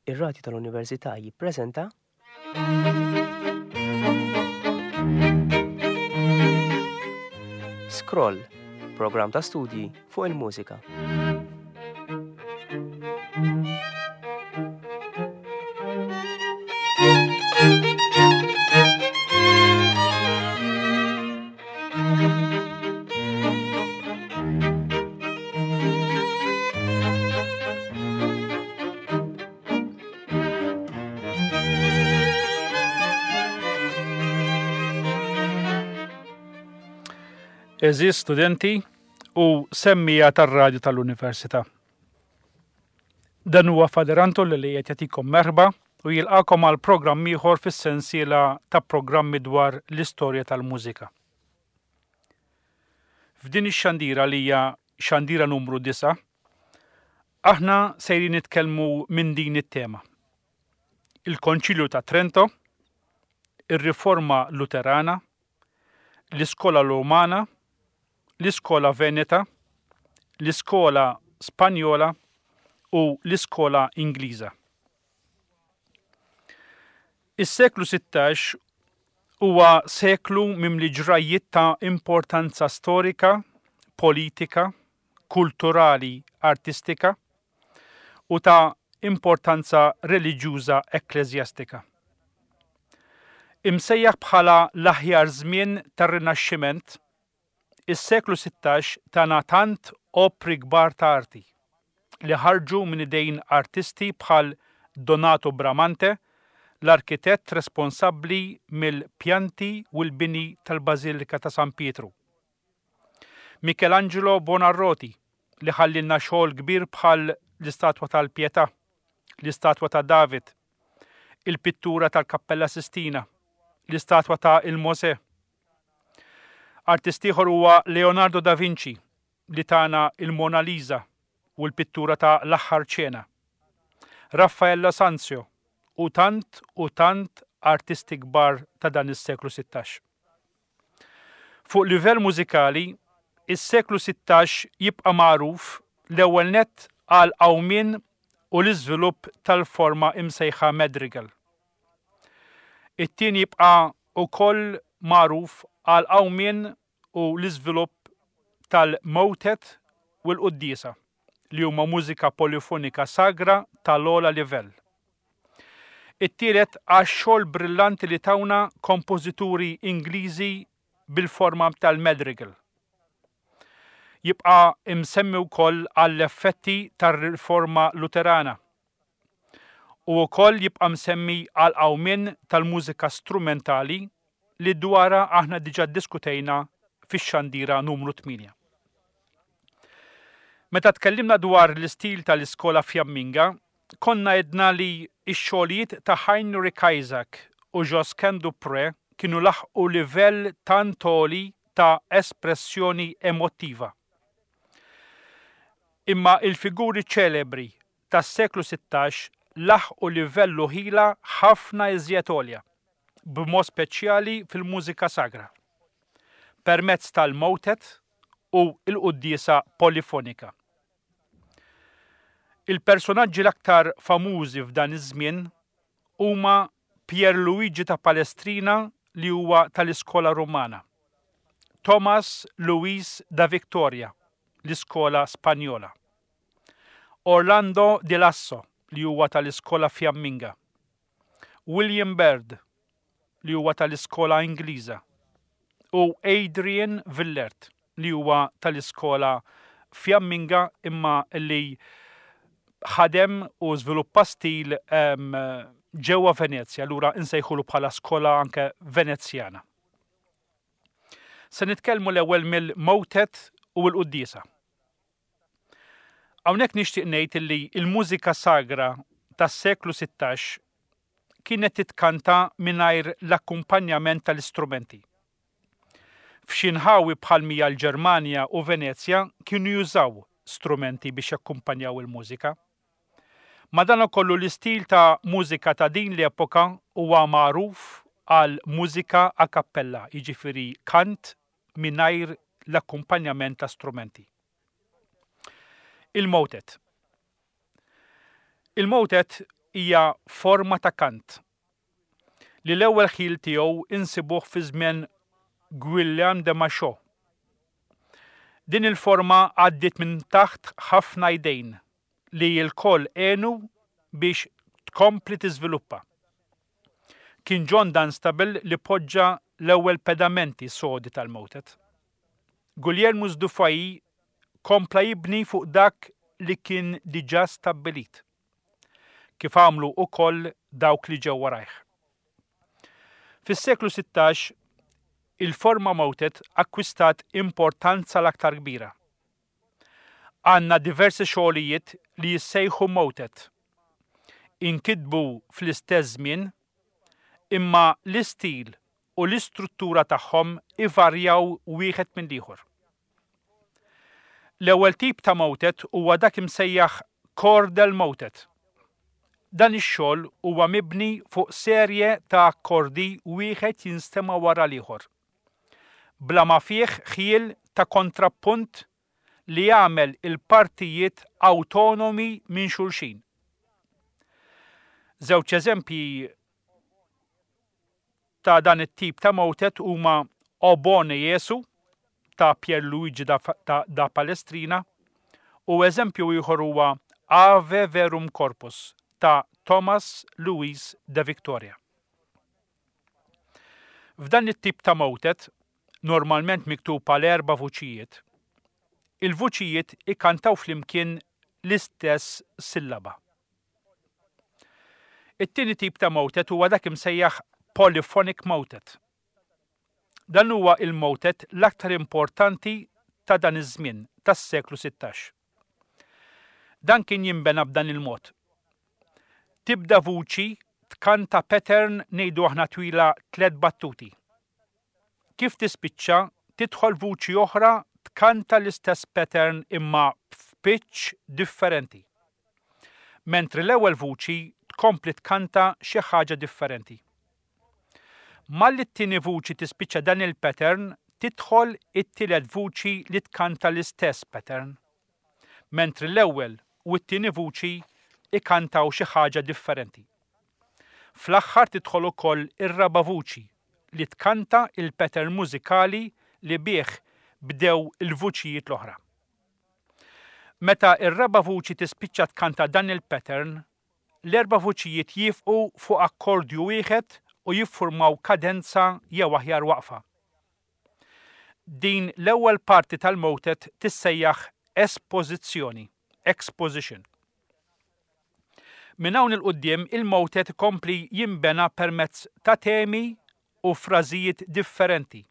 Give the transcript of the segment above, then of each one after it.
Ir-Radju tal-Università jippreżenta. Scroll, programm ta' studji fuq il-mużika. Eżis studenti u semmija tar-radju tal-Università. Dan huwa Father Anton li qed jagħtikom merħba u jilqakom għal programm ieħor fis-sensiela ta' programmi dwar l-istorja tal-mużika. F'din ix-xandira li hija xandira numru 9, aħna sejrin nitkellmu minn din it-tema. Il-Konċilju ta' Trento, ir-Riforma Luterana, l-Iskola Rumana, l-Iskola Veneta, l-Iskola Spanjola u l-Iskola Ingliża. Is-seklu 16 huwa seklu mimli ġrajjiet ta' importanza storika, politika, kulturali, artistika u ta' importanza reliġjuża ekkleżjastika. Imsejjaħ bħala l-aħjar żmien tar-Rinaxximent, Is-seklu 16 tana tant opri kbar ta' arti, li ħarġu minn idejn artisti bħal Donato Bramante, l-arkitett responsabbli mill-pjanti u l-bini tal-Bażilika ta' San Pietru, Michelangelo Buonarroti, li ħallielna xogħol kbir bħal l-istatwa tal-Pietà, l-istatwa ta' David, il-pittura tal-Kappella Sistina, l-istatwa ta' il-Mosè, Artist ieħor huwa Leonardo da Vinci li tana il-Mona Lisa u l-pittura ta' L-Aħħar Ċena. Raffaello Sanzio u tant u tant artisti kbar ta' dan is-seklu 16. Fuq livell mużikali, is-seklu 16 jibqa' magħruf l-ewwel nett għall-qawmien u l-iżvilupp tal-forma imsejħa madrigal. It-tieni jibqa' wkoll magħruf għall-qawmien u l-iżvilupp tal-motet u l-quddiesa, li huma mużika polifonika sagra tal-ogħla livell. It-tielet għax-xogħol brillanti li tawna kompożituri Ingliżi bil-forma tal-madrigal. Jibqa' msemmi wkoll għall-effetti tar-Riforma Luterana u wkoll jibqa' msemmi għall-qawmien tal-mużika strumentali li dwarha aħna diġà ddiskutejna fix-xandira numru 8. Meta tkellimna dwar l-istil tal-iskola Fjamminga, konna għedna li x-xogħlijiet ta' Heinrich Isaac u Josquin du Pré kienu laħqu livell tant għoli ta' espressjoni emottiva. Imma il-figuri ċelebri tas-seklu 16 laħqu livell u ħila ħafna iżjed għolja, b'mod speċjali fil-mużika sagra, permezz tal-motet u l-quddiesa polifonika. Il-personaġġi l-aktar famużi f'dan iż-żmien huma Pier Luigi ta' Palestrina li huwa tal-iskola Rumana, Thomas Luis da Victoria, l-iskola Spanjola, Orlando di Lasso li huwa tal-iskola Fjamminga, William Byrd li huwa tal-iskola Ingliża u Adrian Villert li huwa tal-iskola Fjamminga imma li ħadem u żviluppa stil ġewwa Venezja, allura insejħulu bħala skola anke Venezjana. Se nitkellmu l-ewwel mill-motet u l-quddiesa. Hawnhekk nixtieq ngħid illi l-mużika sagra tas-seklu 16 kienet titkanta mingħajr l-akkumpanjament tal-istrumenti. F'xi nħawi bħal mija l-Ġermanja u Venezja kienu jużaw strumenti biex jakkumpanjaw il-mużika. Madankollu l-istil ta' mużika ta' din l-epoka huwa magħruf għal mużika a cappella, jiġifieri kant mingħajr l-akkumpanjament ta' strumenti. Il-motet. Il-motet hija forma ta' kant li l-ewwel ħjiel tiegħu insibuh fi żmien Guillaume de Machaut. Din il-forma għaddiet minn taħt ħafna jdejn li lkoll għenu biex tkompli tiżviluppa. Kien John Dunstable li poġġa l-ewwel pedamenti sodi tal-motet. Guglielmus du Fay kompla jibni fuq dak li kien diġà stabbilit, kif għamlu ukoll dawk li ġew warajh. Fis-seklu 16, il-forma motet akkwistat importanza l-aktar kbira. Għandna diversi xogħlijiet li jissejħu motet. Inkitbu fl-istess żmien, imma l-istil u l-istruttura tagħhom ivarjaw wieħed mill-ieħor. L-ewwel tip ta' motet huwa dak imsejjaħ chordal motet. Dan ix-xogħol huwa mibni fuq serje ta' akkordi wieħed jinstema' wara l-ieħor. Bla ma fih ħjiel ta' kontrappunt li jagħmel il-partijiet awtonomi minn xulxin. Żewġ eżempji ta' dan it-tip ta' motet huma O Bone Jesu ta' Pierluigi da, da, da Palestrina u eżempju ieħor huwa Ave Verum Corpus ta' Thomas Louis de Victoria. F'dan it-tip ta' motet, normalment miktub għal erba' vuċijiet, il-vuċijiet ikantaw flimkien l-istess sillaba. It-tieni tip ta' motet huwa dak imsejjaħ polyphonic motet. Dan huwa il-motet l-aktar importanti ta' dan iż-żmien tas-seklu 16. Dan kien jinbena b'dan il-mod. Tibda vuċi tkanta pattern ngħidu aħna twila tlett battuti. Kif tispiċċa, tidħol vuċi oħra tkanta l-istess pattern imma f'pitch differenti. Mentri l-ewwel vuċi tkompli tkanta xi ħaġa differenti. Malli t-tieni vuċi tispiċċa dan il-pattern, tidħol it-tielet vuċi li tkanta l-istess pattern. Mentri l-ewwel u t-tieni vuċi ikantaw xi ħaġa differenti. Fl-aħħar tidħol ukoll ir-raba' vuċi li tkanta il-pattern mużikali li bih bdew il-vuċijiet l-oħra. Meta r-raba' vuċi tispiċċa tkanta dan il-pattern, l-erba' vuċijiet jiefqu fuq akkordju wieħed u jiffurmaw kadenza jew aħjar waqfa. Din l-ewwel parti tal-motet tissejjaħ espożizzjoni, exposition. Minn hawn 'il quddiem il-motet ikompli jinbena permezz ta' temi u frażijiet differenti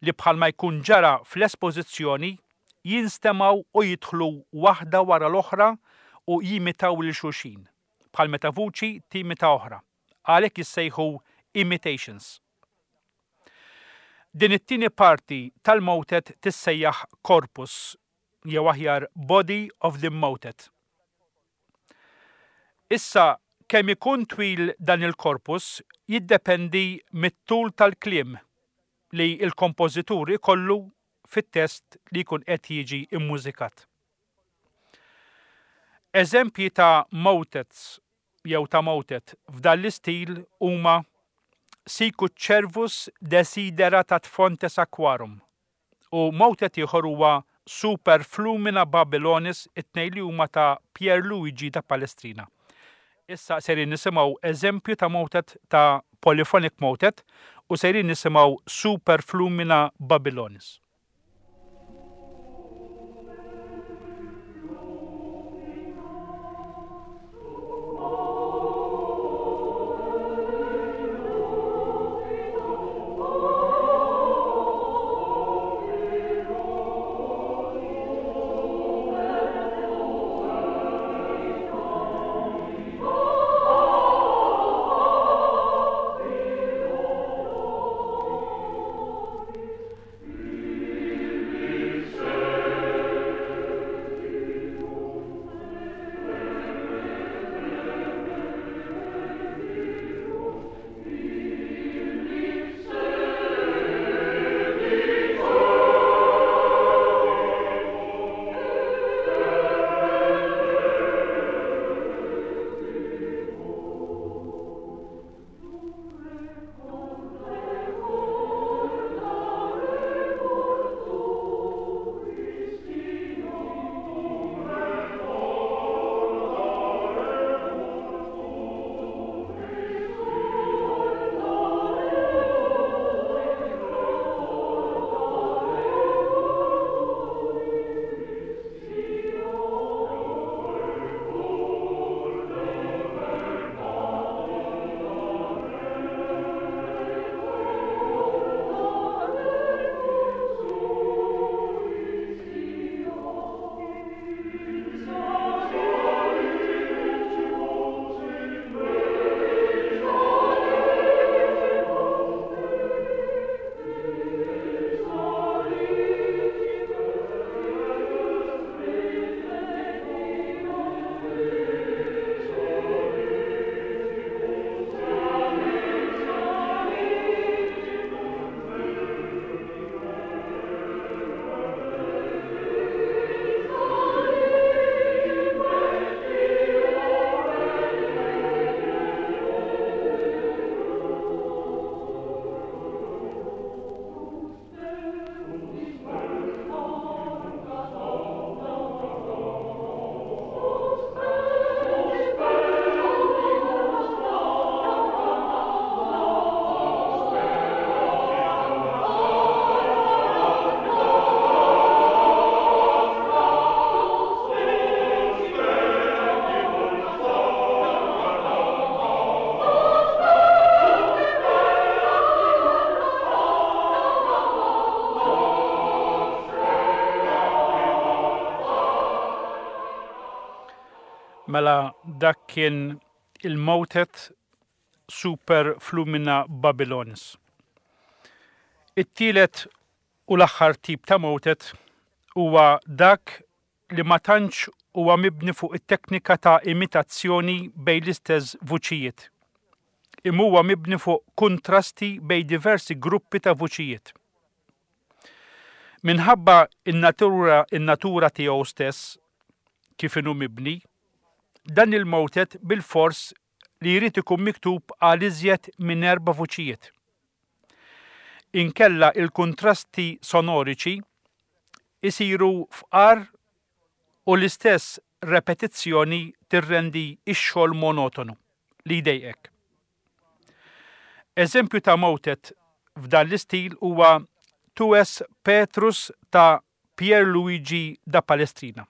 li bħalma jkun ġara fl-espożizzjoni jinstemgħu u jidħlu waħda wara l-oħra u jimitaw lil xulxin, bħal meta vuċi timita oħra. Għalhekk jissejħu imitations. Din it-tieni parti tal-motet tissejjaħ corpus jew aħjar body of the motet. Issa, kemm ikun twil dan il-korpus jiddependi mit-tul tal-kliem li l-kompożitur ikollu fit-test li jkun qed jiġi mmużikat. Eżempji ta' motets jew ta' motet f'dan l-istil huma Sicut cervus desiderat ad fontes aquarum u motet ieħor huwa Super Flumina Babylonis it-tnejn li huma ta' Pier Luigi da Palestrina. Issa sejrin nisimgħu eżempju ta' motet ta' polyphonic motet u sejrin nisimgħu Super Flumina Babylonis. Mela dak kien il-motet Super Flumina Babylonis. It-tielet u l-aħħar tip ta' motet huwa dak li ma tantx huwa mibni fuq it-teknika ta' imitazzjoni bejn l-istess vuċijiet, imma huwa mibni fuq kuntrasti bejn diversi gruppi ta' vuċijiet. Minħabba n-natura n-natura tiegħu stess, kif inhu mibni, dan il-motet bilfors li jrid ikun miktub għal iżjed minn erba' vuċijiet. Inkella il-kuntrasti sonoriċi isiru fqar u l-istess repetizzjoni tirrendi x-xogħol monotonu, li jdejqek. Eżempju ta' motet f'dan l-istil huwa Tu es Petrus ta' Pier Luigi da Palestrina.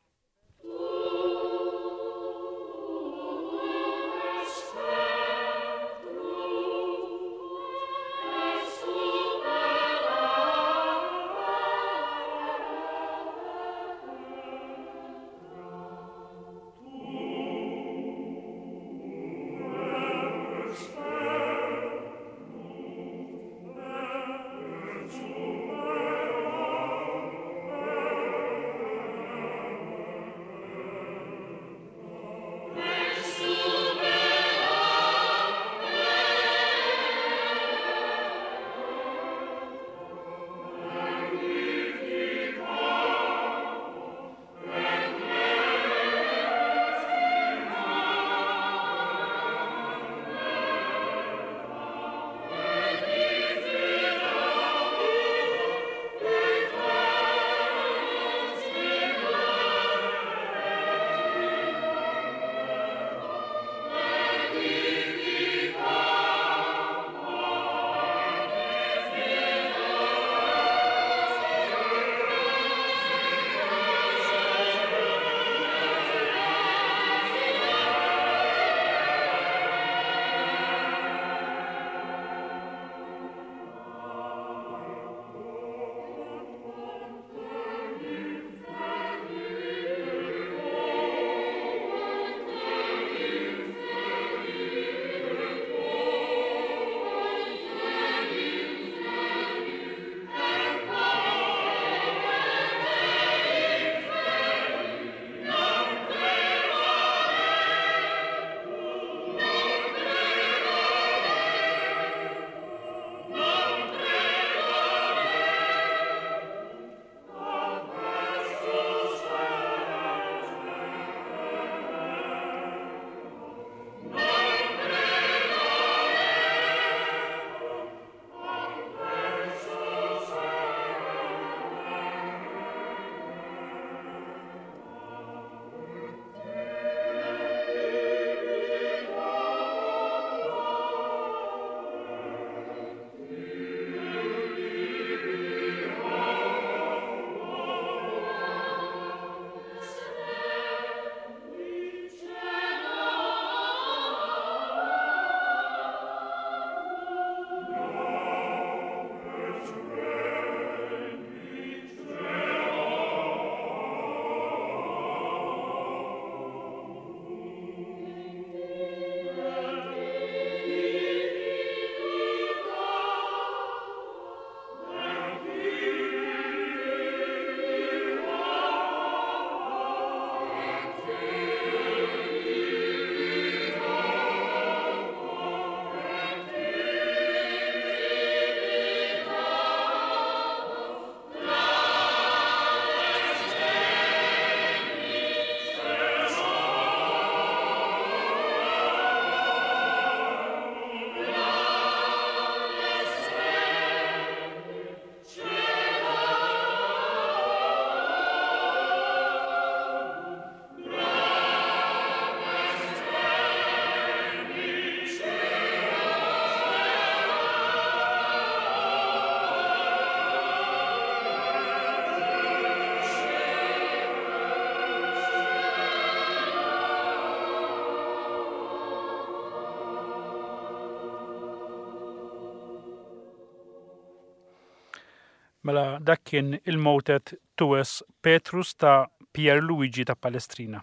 Mela dak kien il-motet Tues Petrus ta' Pier Luigi ta' Palestrina.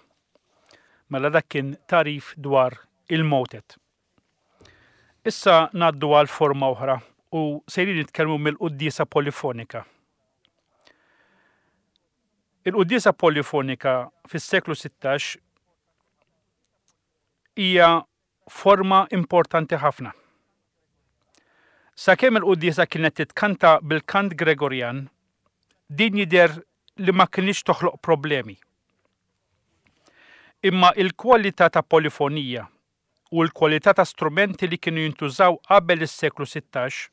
Mela dak kien tagħrif dwar il-motet. Issa ngħaddu għal forma oħra u sejrin nitkellmu mill-quddiesa polifonika. Il-quddiesa polifonika fis-seklu 16 hija forma importanti ħafna. Sakemm il-quddiesa kienet titkanta bil-kant Gregorjan, din jidher li ma kinitx toħloq problemi. Imma il-kwalità ta' polifonija u l-kwalità ta' strumenti li kienu jintużaw qabel is-seklu 16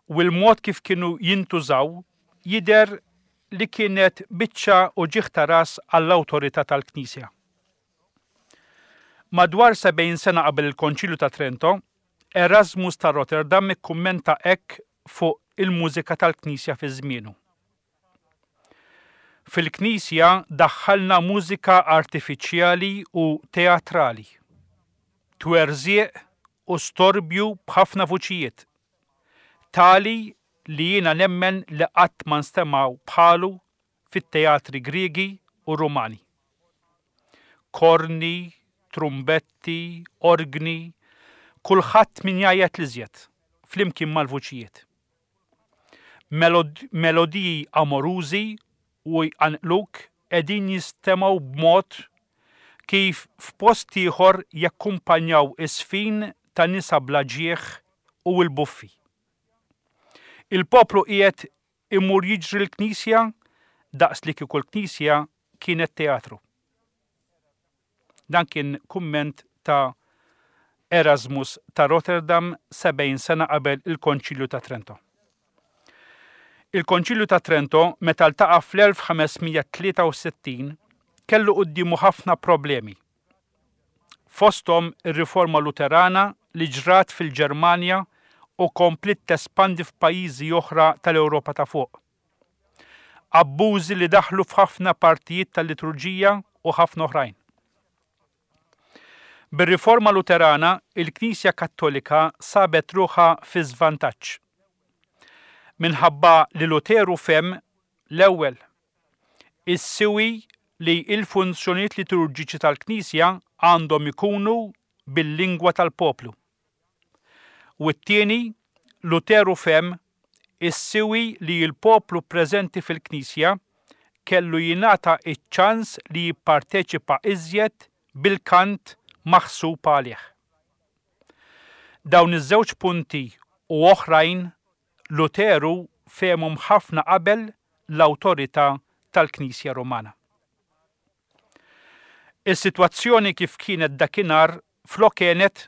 u l-mod kif kienu jintużaw jidher li kienet biċċa uġigħ ta' ras għall-awtorità tal-Knisja. Madwar 70 sena qabel il-Konċilju ta' Trento, Erasmus ta' Rotterdam ikkummenta hekk fuq il-mużika tal-Knisja fi żmienu. Fil-Knisja daħħalna mużika artifiċjali u teatrali, twerżieq u storbju b'ħafna vuċijiet, tali li jiena nemmen li qatt ma nstemgħu bħalu fit-teatri Griegi u Rumani. Korni, trumbetti, orgni, kulħadd min jgħajjat l-iżjed, flimkien mal-vuċijiet. Melodiji amorużi u jqanqluk qegħdin jistemgħu b'mod kif f'post ieħor jakkumpanjaw iż-żfin ta' nisa bla ġieħ u l-buffi. Il-poplu qiegħed imur jiġri l-knisja daqs li kieku l-knisja kienet teatru. Dan kien kumment ta' Erasmus ta' Rotterdam 70 sena qabel il-Konċilju ta' Trento. Il-Konċilju ta' Trento meta ltaqa' fl-1563 kellu quddiemu ħafna problemi. Fosthom ir-Riforma Luterana li ġrat fil-Ġermanja u kompliet tespandi f'pajjiżi oħra tal-Ewropa ta' Fuq. Abbużi li daħlu f'ħafna partijiet tal-liturġija u ħafna oħrajn. Bir-Riforma Luterana, il-Knisja Kattolika sabet ruħha fi żvantaġġ. Minħabba li Luteru fehem, l-ewwel, is-siwi li l-funzjonijiet liturġiċi tal-Knisja għandhom ikunu bil-lingwa tal-poplu. U t-tieni, Luteru fehem is-siwi li l-poplu preżenti fil-Knisja kellu jingħata ċ-ċans li jipparteċipa iżjed bil-kant maħsub għalih. Dawn iż-żewġ punti u oħrajn Luteru fehemhom ħafna qabel l-awtorità tal-Knisja Rumana. Is-sitwazzjoni kif kienet dakinhar flok għenet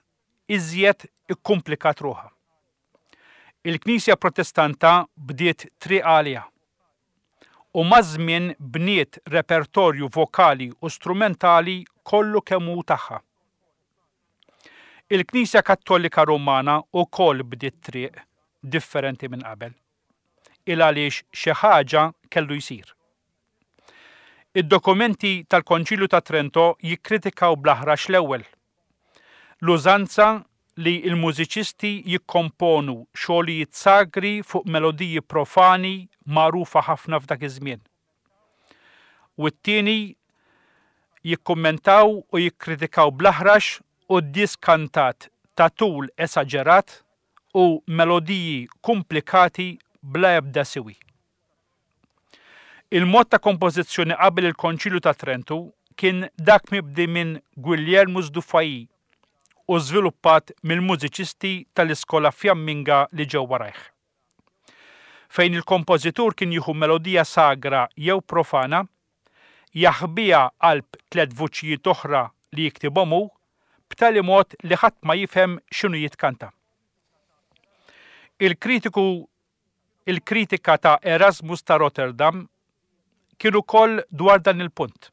iżjed ikkumplikat ruħha. Il-Knisja Protestanta bdiet triq għaliha u maż-żmien bniet repertorju vokali u strumentali kollu kemm hu tagħha. Il-Knisja Kattolika Rumana wkoll bdiet triq differenti minn qabel, il-għaliex xi ħaġa kellu jsir. Id-dokumenti tal-Konċilju ta' Trento jikkritikaw bl-aħrax l-ewwel l-użanza li l-mużiċisti jikkomponu xogħlijiet sagri fuq melodiji profani magħrufa ħafna f'dak iż-żmien. U t-tieni jikkummentaw u jikkritikaw bl-aħrax quddies kantat ta' tul esaġerat u melodiji kumplikati bla ebda siwi. Il-mod ta' kompożizzjoni qabel il-Konċilju ta' Trentu kien dak mibdi minn Guillermus du Fay u żviluppat mill-mużiċisti tal-iskola Fjamminga li ġew warajh. Fejn il-kompożitur kien jieħu melodija sagra jew profana, jaħbiha qalb tlett vuċijiet oħra li jiktibhom hu, b'tali mod li ħadd ma jifhem x'inhu jitkanta. Il-kritiku Il-kritika ta' Erasmus ta' Rotterdam kien ukoll dwar dan il-punt,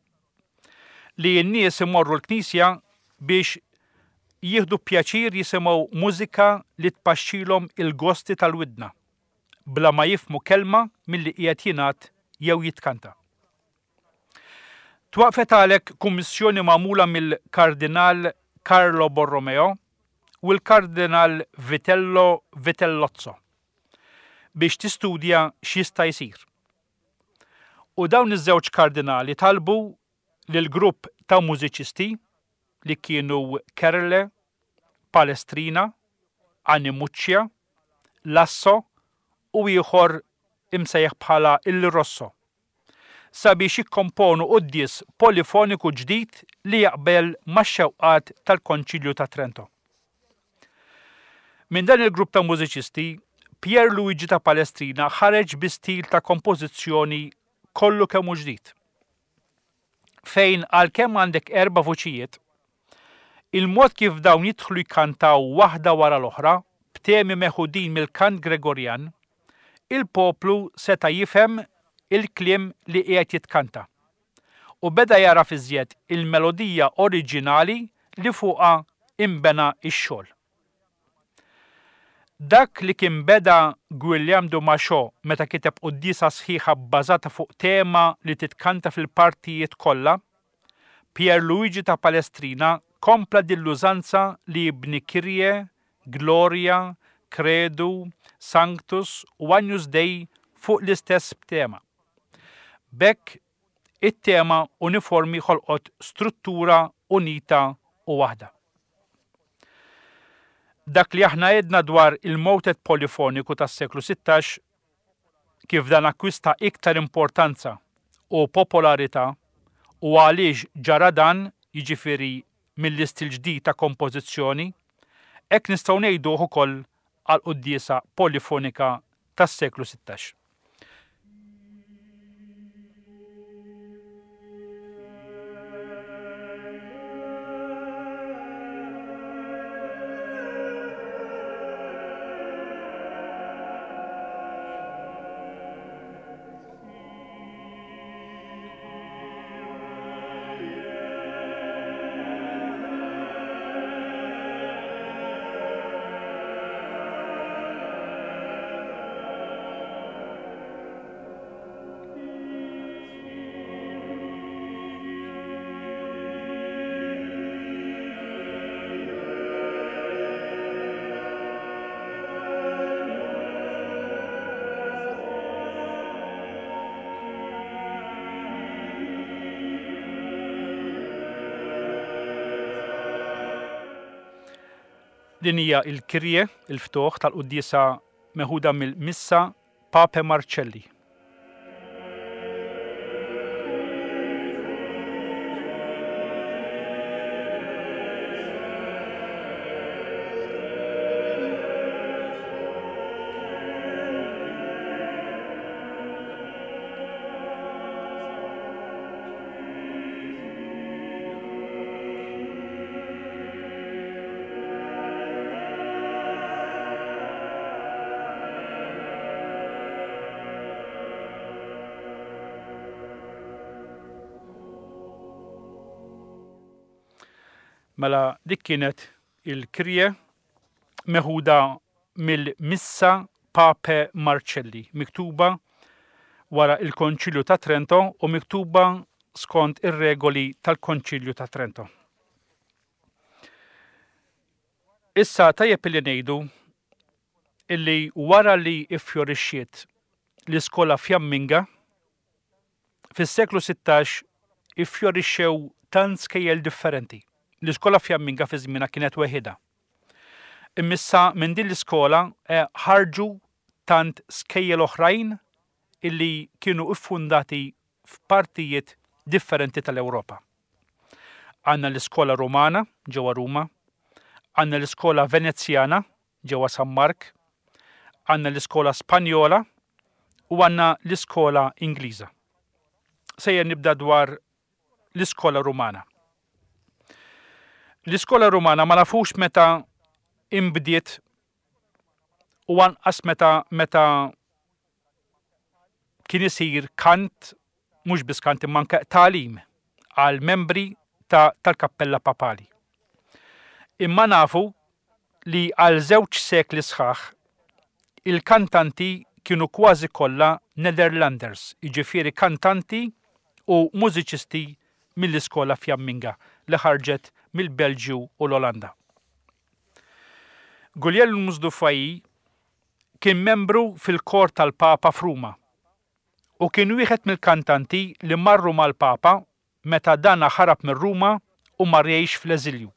li n-nies imorru l-knisja biex jieħdu pjaċir jisimgħu mużika li tpaxxilhom il-gosti tal-widna, bla ma jifhmu kelma milli qiegħed jingħad jew jitkanta. Twaqqfet għalhekk kummissjoni magħmula mill-Kardinal Carlo Borromeo u l-Kardinal Vitello Vitellozzo biex tistudja x'jista' jsir. U dawn iż-żewġ kardinali talbu lil grupp ta' mużiċisti li kienu Kerle, Palestrina, Animuccia, Lasso u ieħor imsejjaħ bħala Il Rosso, sabiex jikkomponu quddies polifoniku ġdid li jaqbel max-xewqat tal-Konċilju ta' Trento. Minn dan il-grupp ta' mużiċisti, Pier Luigi ta' Palestrina ħareġ bi stil ta' kompożizzjoni kollu kemm hu ġdid. Fejn għalkemm għandek erba' vuċijiet, il-mod kif dawn jidħlu jkantaw waħda wara l-oħra b'temi meħudin mill-kant Gregorjan, il-poplu seta' jifhem il-kliem li qiegħed jitkanta u beda jagħraf iżjed il-melodija oriġinali li fuqha inbena x-xogħol. Dak li kien beda Guillaume du Machaut meta kiteb quddiesa sħiħa bbażata fuq tema li titkanta fil-partijiet kollha, Pier Luigi ta' Palestrina kompla din l-użanza li jibni Kyrie, Gloria, Credu, Sanctus u Agnus Dei fuq l-istess tema. B'hekk it-tema uniformi ħolqot struttura unita u waħda. Dak li aħna għedna dwar il-motet polifoniku tas-seklu 16, kif dan akkwista iktar importanza u popolarità u għaliex ġara dan, jiġifieri mill-istil ġdid ta' kompożizzjoni, hekk nistgħu ngħiduh ukoll għall-quddiesa polifonika tas-seklu 16. Din hija il-Kyrie, il-ftuħ tal-quddiesa meħuda mill-Missa Pape Marcelli. Mela dik kienet il-Kyrie meħuda mill-Missa Pape Marcelli, miktuba wara il-Konċilju ta' Trento u miktuba skont ir-regoli tal-Konċilju ta' Trento. Issa tajjeb illi ngħidu illi wara li iffjorixxiet l-iskola Fjamminga, fis-seklu 16 iffjorixxew tant skejjel differenti. L-iskola Fjamminga fi żmienha kienet weħidha. Imma issa minn din l-iskola eh, ħarġu tant skejjel oħrajn illi kienu iffundati f'partijiet differenti tal-Ewropa. Għandna l-iskola Rumana ġewwa Ruma, għandna l-iskola Venezjana ġewwa San Mark, għandna l-iskola Spanjola u għandna l-iskola Ingliża. Sejjer nibda dwar l-iskola Rumana. L-iskola Rumana ma nafux meta imbdiet u anqas meta meta kien isir kant, mhux biss kant imma anke tagħlim għal membri ta' tal-Kappella Papali. Imma nafu li għal żewġ sekli sħaħ il-kantanti kienu kważi kollha Netherlanders, jiġifieri kantanti u mużiċisti mill-iskola Fjamminga li ħarġet mill-Belġju u l-Olanda. Guglielmus du Fay kien membru fil-kor tal-Papa f'Ruma u kien wieħed mill-kantanti li marru mal-Papa. meta dana ħarab minn Ruma u mar jgħix fl-eżilju.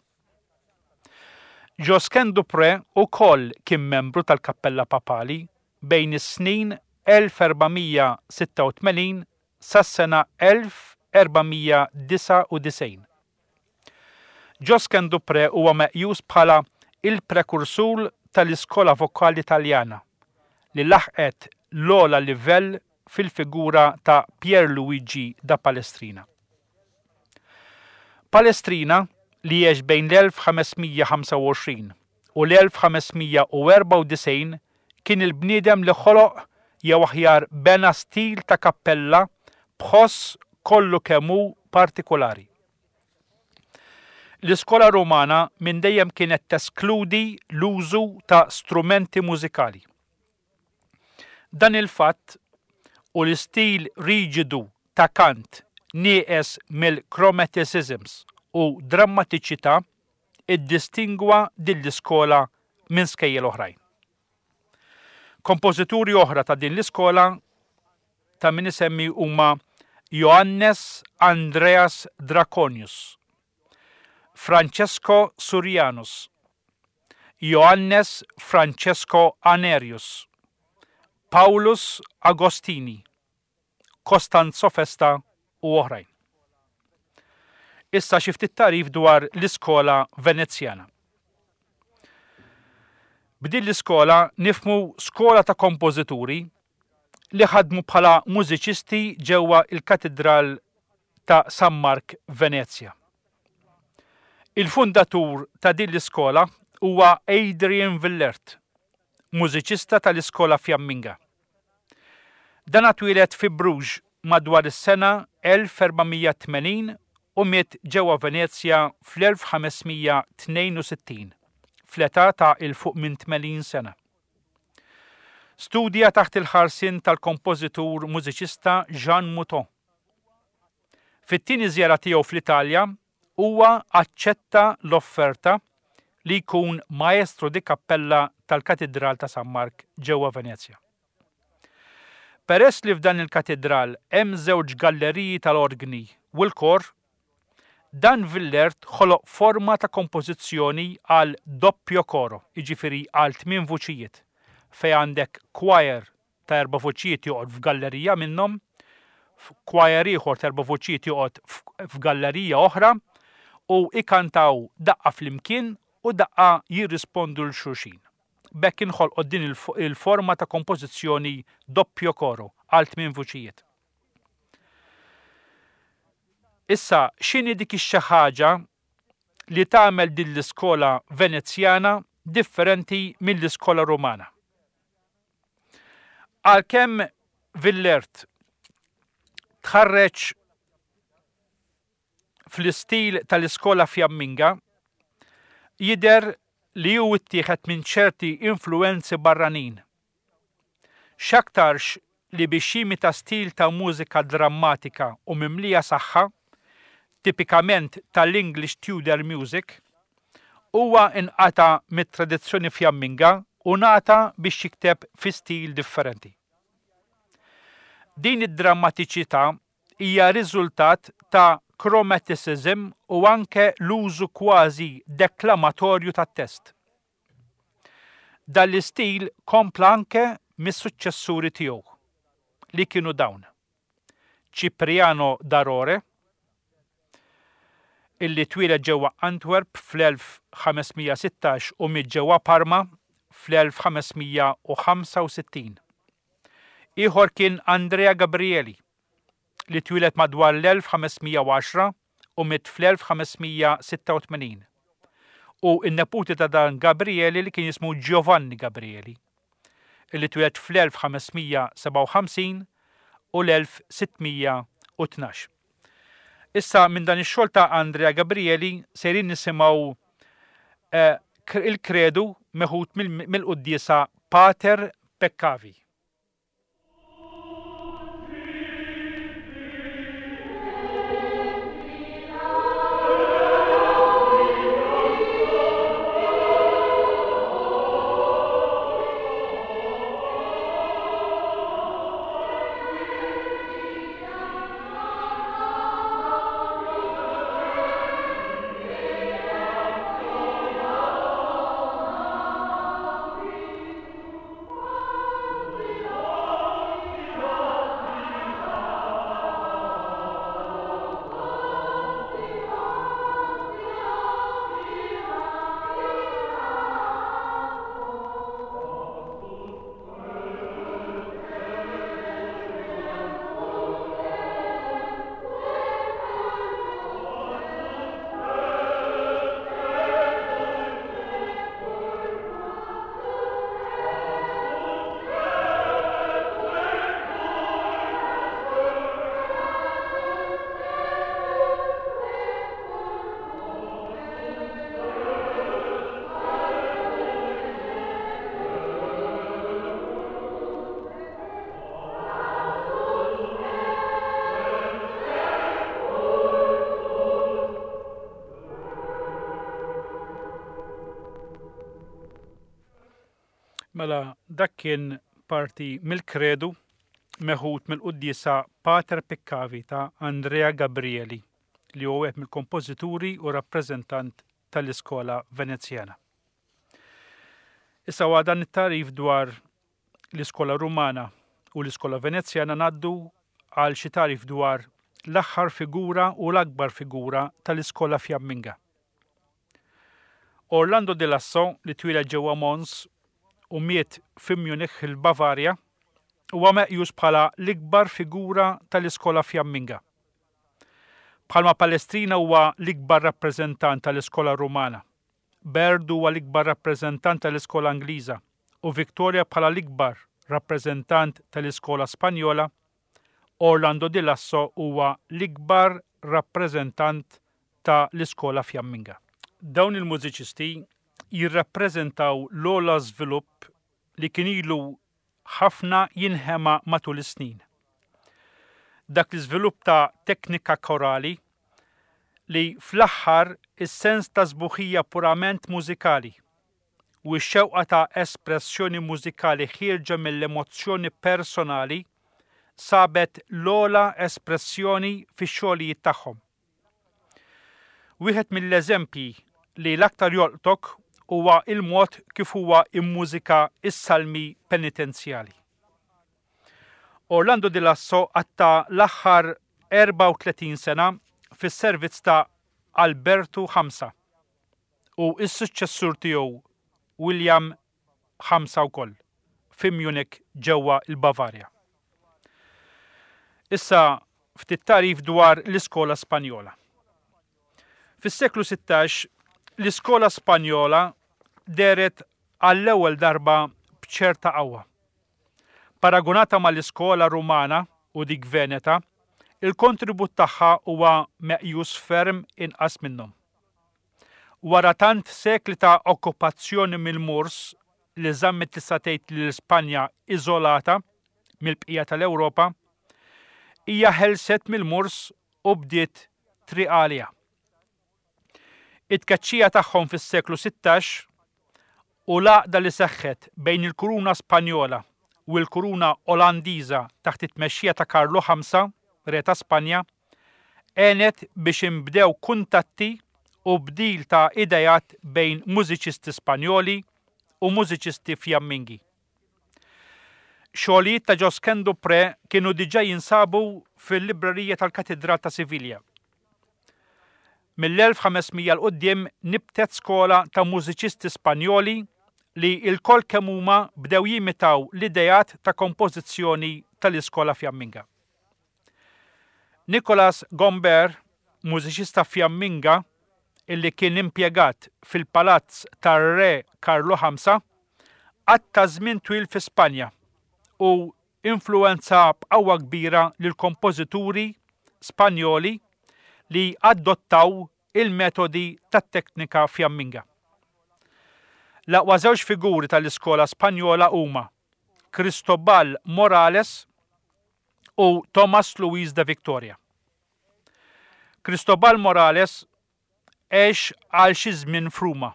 Josquin du Pré ukoll kien membru tal-Kappella Papali bejn is-snin 1486 sas-sena 1499. Josquin du Pré huwa meqjus bħala il-prekursur tal-iskola vokali Taljana, li laħqet l-ogħla livell fil-figura ta' Pier Luigi da Palestrina. Palestrina, li għex bejn l-1525 u l-1594 kien il-bniedem li ħoloq jew aħjar bena stil ta' kappella b'ħoss kollu kemm hu partikulari. L-iskola Rumana minn dejjem kienet teskludi l-użu ta' strumenti mużikali. Dan il-fatt u l-istil riġidu ta' kant nieqes mill-chromaticisms u drammatiċità iddistingwa din l-iskola minn skejjel oħrajn. Kompożituri oħra ta' din l-iskola ta' min isemmi huma Johannes Andreas Draconius, Francesco Surianus, Johannes Francesco Anerius, Paulus Agostini, Costanzo Festa u oħrajn. Issa xi ftit tagħrif dwar l-iskola Venezjana. B'din l-iskola nifhmu skola ta' kompożituri li ħadmu bħala mużiċisti ġewwa l-Katidral ta' San Mark Venezja. Il-fundatur ta' din l-iskola huwa Adrian Villert, mużiċista tal-iskola Fjamminga. Dan twieled fi Bruges madwar is-sena 1480 u miet ġewwa Venezja fl-1562, fl-età ta' 'il fuq minn 80 sena. Studja taħt il-ħarsien tal-kompożitur mużiċista Jean Mouton. Fit-tieni żjara tiegħu fl-Italja huwa aċċetta l-offerta li jkun maestro di cappella tal-Katidral ta' San Mark ġewwa Venezja. Peress li f'dan il-katidral hemm żewġ galleriji tal-orgni u l-kor, Dan Villert ħoloq forma ta' kompożizzjoni għal doppio coro, jiġifieri għal tmien vuċijiet, fejn għandek choir ta' erba' vuċijiet joqgħod f'gallerija minnhom, choir ieħor ta' erba' vuċijiet joqgħod f'gallerija oħra u jkantaw daqqa flimkien u daqqa jirrispondu 'l xulxin. B'hekk inħolqot din il-forma ta' kompożizzjoni doppio coro għal tmien vuċijiet. Issa, x'inhi dik ix-xi ħaġa li tagħmel din l-iskola Venezjana differenti mill-iskola Rumana? Għalkemm Villert tħarreġ fl-istil tal-iskola Fjamminga, jidher li hu ttieħed minn ċerti influwenzi barranin. X'aktarx li biex jimita stil ta' mużika drammatika u mimlija saħħa, tipikament tal-English Tudor music, huwa nqata' mit-tradizzjoni Fjamminga u ngħata biex jikteb fi stil differenti. Din id-drammatiċità hija riżultat ta' chromaticism u anke l-użu kważi deklamatorju tat-test. Dan l-istil kompla anke mis-suċċessuri tiegħu, li kienu dawn, Cipriano da Rore, illi twieled ġewwa Antwerp fl-1516 u miet ġewwa Parma fl-1565. Ieħor kien Andrea Gabrieli, li twieled madwar l-1510 u miet fl-1586, u n-neputi ta' dan Gabrieli li kien jismu Giovanni Gabrieli, li twieled fl-1557 u l-1612. Issa minn dan ix-xogħol ta' Andrea Gabrieli sejrin nisimgħu eh, il-kredu meħud mill-quddiesa Pater Peccavi. Mela dak kien parti mill-Kredu meħud mill-quddiesa Pater Peccavi ta' Andrea Gabrieli li huwa wieħed mill-kompożituri u rappreżentant tal-iskola Venezjana. Issa wara dan it-tagħrif dwar l-iskola Rumana u l-iskola Venezjana ngħaddu għal xi tagħrif dwar l-aħħar figura u l-akbar figura tal-iskola Fjamminga. Orlando di Lasso, li twieled ġewwa Mons u miet fi Munich il-Bavarja, huwa meqjus bħala l-ikbar figura tal-iskola Fjamminga. Bħalma Palestrina huwa l-ikbar rappreżentant tal-iskola Rumana, Byrd huwa l-ikbar rappreżentant tal-iskola Ingliża u Victoria bħala l-ikbar rappreżentant tal-iskola Spanjola, Orlando di Lasso huwa l-ikbar rappreżentant ta' l-iskola Fjamminga. Dawn il-mużiċisti jirrappreżentaw l-ogħla żvilupp li kien ilu ħafna jinħema matul is-snin. Dak l-iżvilupp ta' teknika korali li fl-aħħar is-sens ta' sbuħija purament mużikali u x-xewqa ta' espressjoni mużikali ħierġa mill-emozzjoni personali sabet l-ogħla espressjoni fix-xogħlijiet tagħhom. Wieħed mill-eżempji li l-aktar jolqtok huwa l-mod kif huwa mmużika s-salmi penitenzjali. Orlando di Lasso qatta' l-aħħar 34 sena fis-servizz ta' Albertu Ħamsa u s-suċċessur tiegħu William Ħamsa wkoll, fi Munich ġewwa l-Bavarja. Issa ftit tagħrif dwar l-iskola Spanjola. Fis-seklu 16 l-iskola Spanjola dehret għall-ewwel darba b'ċerta qawwa. Paragunata mal-iskola Rumana u dik Veneta, il-kontribut tagħha huwa meqjus ferm inqas minnhom. Wara tant sekli ta' okkupazzjoni mill-Moors li żammet tista' tgħid lil Spanja iżolata mill-bqija tal-Ewropa, hija ħelset mill-Moors u bdiet triq għaliha. It-tkeċċija tagħhom fis-seklu 16 u l-għaqda li seħħet bejn il-Kuruna Spanjola u l-Kuruna Olandiża taħt it-tmexxija ta' Karlu Ħamsa, Re ta' Spanja, għenet biex inbdew kuntatti u bdil ta' ideat bejn mużiċisti Spanjoli u mużiċisti Fjammingi. Xogħlijiet ta' Josquin du Pré kienu diġà jinsabu fil-librerija tal-Katidral ta' Sivilja. Mill-1500 'l quddiem nibtet skola ta' mużiċisti Spanjoli li lkoll kemm huma bdew jimitaw l-ideat ta' kompożizzjoni tal-iskola Fjamminga. Nicolas Gombert, mużiċista Fjamminga illi kien impjegat fil-palazz tar-Re Karlu Ħamsa, qatta' żmien twil fi Spanja u influwenza b'qawwa kbira lill-kompożituri Spanjoli li adottaw il-metodi tat-teknika Fjamminga. L-aqwa żewġ figuri tal-iskola Spanjola huma Cristobal Morales u Tomás Luis de Victoria. Cristobal Morales għex għal xi żmien f'Ruma.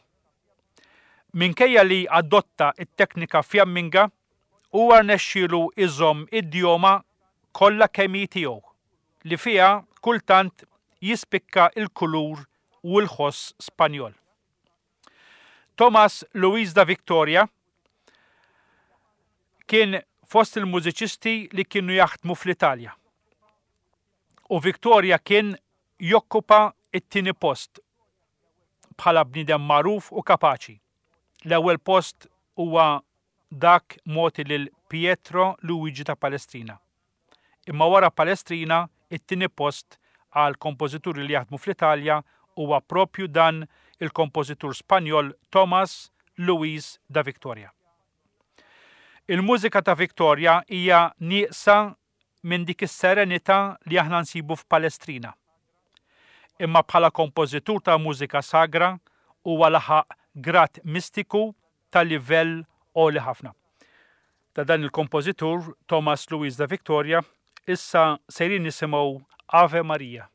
Minkejja li adotta t-teknika Fjamminga, huwa rnexxielu jżomm id-djoma kollha kemm hi tiegħu, li fiha kultant jispikka l-kulur u l-ħoss Spanjol. Tomás Luis da Victoria kien fost il-mużiċisti li kienu jaħdmu fl-Italja. U Victoria kien jokkupa t-tieni post bħala bniedem magħruf u kapaċi. L-ewwel post huwa dak mogħti lil Pietro Luigi ta' Palestrina. Imma wara Palestrina, it-tieni post għal kompożituri li jaħdmu fl-Italja huwa proprju dan il-kompożitur Spanjol Tomás Luis da Victoria. Il-mużika ta' Victoria hija nieqsa minn dik is-serenità li aħna nsibu f'Palestrina. Imma bħala kompożitur ta' mużika sagra huwa laħaq grad mistiku ta' livell għoli ħafna. Ta' dan il-kompożitur Thomas Luis da Victoria issa sejrin nisimgħu Ave Maria.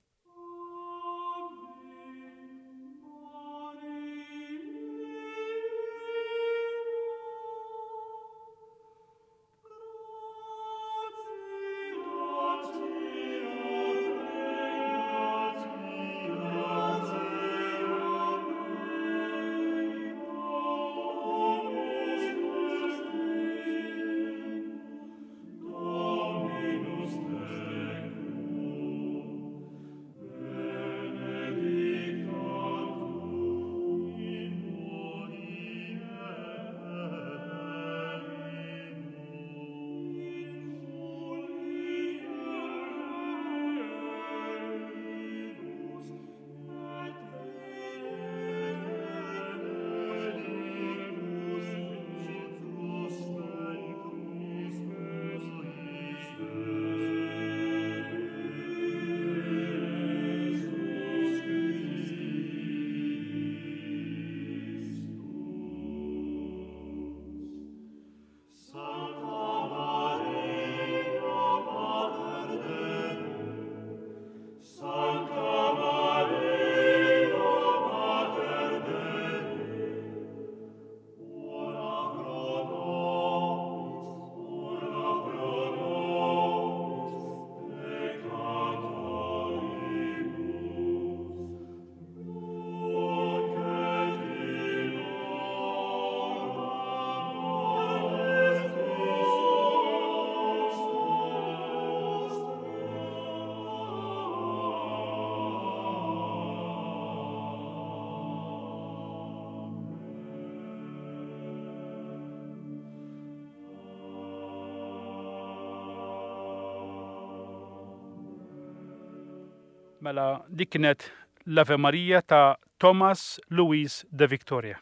Mela dik kienet l-Ave Maria ta' Thomas Louis de Victoria.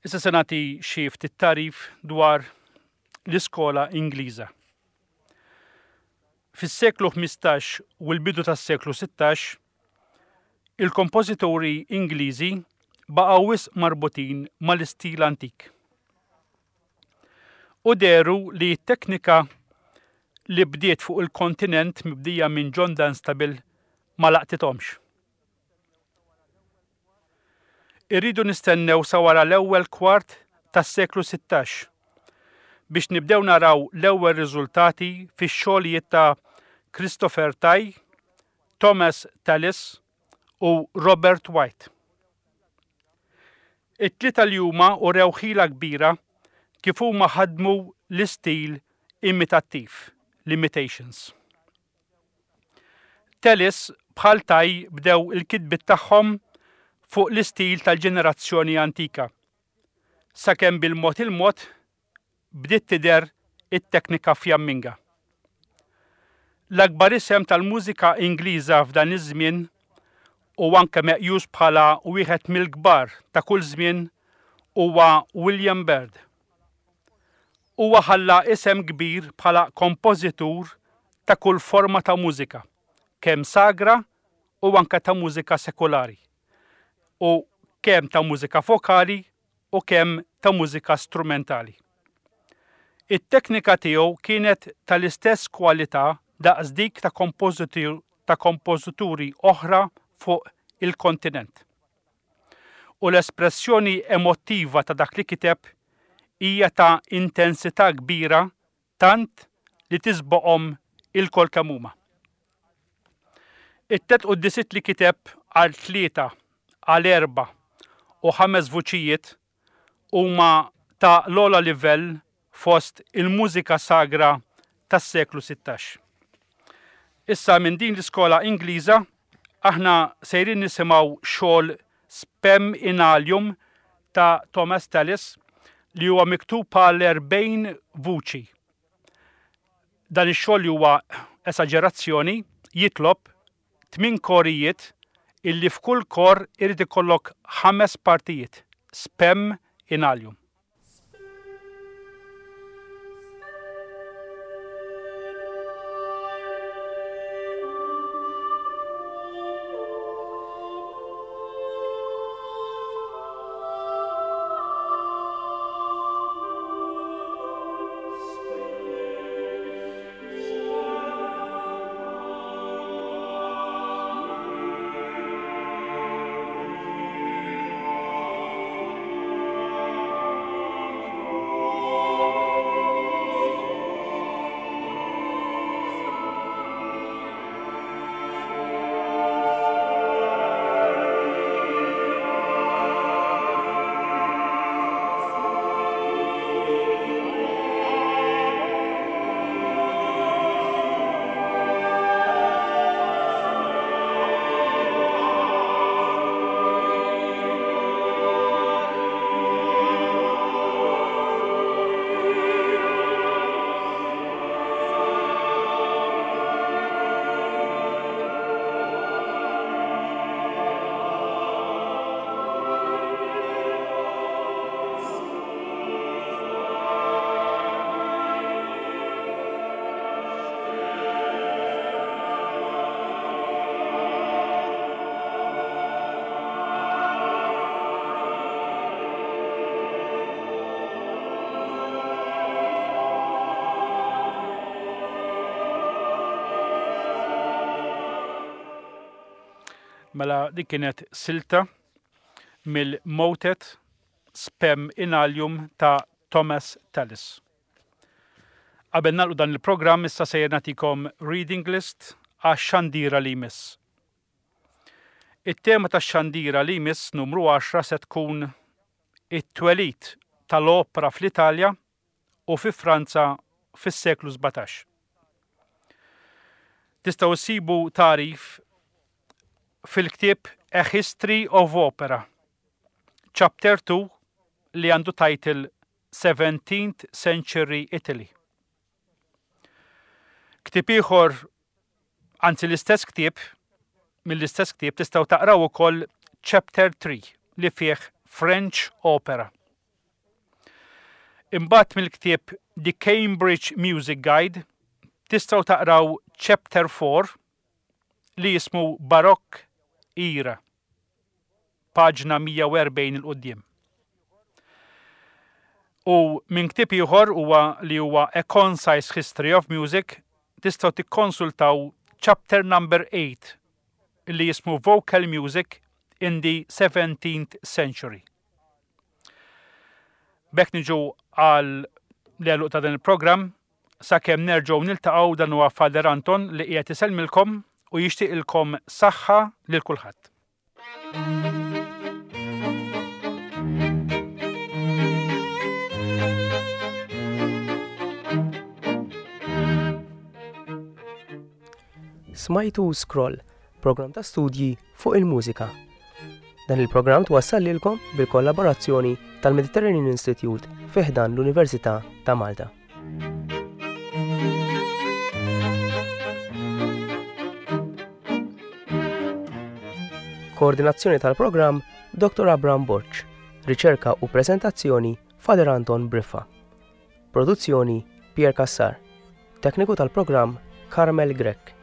Issa se nagħti xi ftit tagħrif dwar l-iskola Ingliża. Fis-seklu 15 u l-bidu tas-seklu 16, il-kompożituri Ingliżi baqgħu wisq marbutin mal-istil antik. U dehru li t-teknika li bdiet fuq il-kontinent mibdija minn John Dunstable ma laqtithomx. Irridu nistennew sa wara l-ewwel kwart tas-seklu 16 biex nibdew naraw l-ewwel riżultati fix-xogħlijiet ta' Christopher Tye, Thomas Tallis u Robert White. It-tlieta li huma urew ħila kbira kif huma ħadmu l-istil imitattiv, l-imitations. Tallis bħal Tye bdew il-kitbiet tagħhom fuq l-istil tal-ġenerazzjoni antika, sakemm bil-mod il-mod bdiet tidher it-teknika Fjamminga. L-akbar isem tal-mużika Ingliża f'dan iż-żmien u anke meqjus bħala wieħed mill-kbar ta' kull żmien huwa William Byrd. Huwa ħalla isem kbir bħala kompożitur ta' kull forma ta' mużika, kemm sagra u anke ta' mużika sekulari, u kemm ta' mużika vokali u kemm ta' mużika strumentali. It-teknika tiegħu kienet tal-istess kwalità daqs dik ta' ta' kompożituri oħra fuq il-kontinent. U l-espressjoni emottiva ta' dak li kiteb hija ta' intensità kbira tant li tisboqhom ilkoll kemm huma. It-tlet quddisiet li kiteb għal tlieta, għal erbgħa u ħames vuċijiet huma ta' l-ogħla livell fost il-mużika sagra tas-seklu 16. Issa minn din l-iskola Ingliża aħna sejrin nisimgħu xogħol Spem in Alium ta' Thomas Tallis li huwa miktub għal 40 vuċi. Dan ix-xogħol li huwa esaġerazzjoni jitlob tmien korijiet illi f'kull kor irid ikollok ħames partijiet, spem in alium. Mela dik kienet silta mill-motet Spem in Alium ta' Thomas Tallis. Qabel nagħlqu dan il-programm issa sejjer nagħtikom reading list għax-xandira li jmiss. It-tema tax-xandira li jmiss numru 10 se tkun it-twelid tal-opra fl-Italja u fi Franza fis-seklu 17. Tistgħu ssibu tagħrif fil-ktieb A History of Opera, Chapter 2 li għandu title 17th Century Italy. Ktieb ieħor. Anzi l-istess ktieb, mill-istess ktieb tistgħu taqraw ukoll chapter 3 li fih French Opera. Imbagħad mill-ktieb The Cambridge Music Guide tistgħu taqraw chapter 4 li jismu Baroque Era, paġna 140 'il quddiem. U minn ktieb ieħor huwa li huwa A Concise History of Music tistgħu tikkonsultaw chapter number 8 li jismu Vocal Music in the 17th Century. B'hekk niġu għal l-għeluq ta' dan il-programm sakemm nerġgħu niltaqgħu dan huwa Father Anton li qiegħed isellmilkom u jixtieqilkom saħħa lil kulħadd. Smajtu Scroll, programm ta' studji fuq il-mużika. Dan il-programm twassal lilkom bil-kollaborazzjoni tal-Mediterranean Institute fi ħdan l-Università ta' Malta. Koordinazzjoni tal-programm Dr. Abraham Borg. Riċerka u prezentazzjoni Father Anton Briffa. Produzzjoni Pierre Cassar. Tekniku tal-programm Carmel Grech.